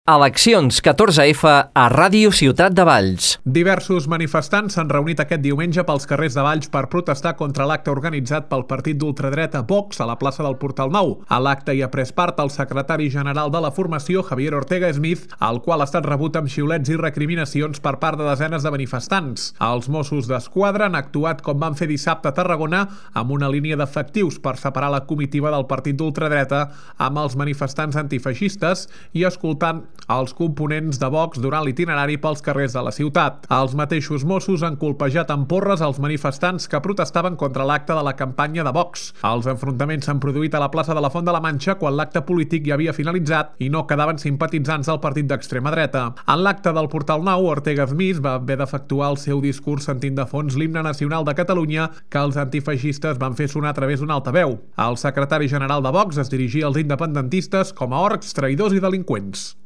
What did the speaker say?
Eleccions 14F a Ràdio Ciutat de Valls. Diversos manifestants s'han reunit aquest diumenge pels carrers de Valls per protestar contra l'acte organitzat pel partit d'ultradreta Vox a la plaça del Portal Nou. A l'acte hi ha pres part el secretari general de la formació, Javier Ortega Smith, el qual ha estat rebut amb xiulets i recriminacions per part de desenes de manifestants. Els Mossos d'Esquadra han actuat com van fer dissabte a Tarragona amb una línia d'efectius per separar la comitiva del partit d'ultradreta amb els manifestants antifeixistes i escoltant els components de Vox durant l'itinerari pels carrers de la ciutat. Els mateixos Mossos han colpejat amb porres els manifestants que protestaven contra l'acte de la campanya de Vox. Els enfrontaments s'han produït a la plaça de la Font de la Manxa quan l'acte polític ja havia finalitzat i no quedaven simpatitzants del partit d'extrema dreta. En l'acte del Portal Nou, Ortega Smith va haver d'efectuar el seu discurs sentint de fons l'himne nacional de Catalunya que els antifeixistes van fer sonar a través d'un altaveu. El secretari general de Vox es dirigia als independentistes com a orcs, traïdors i delinqüents.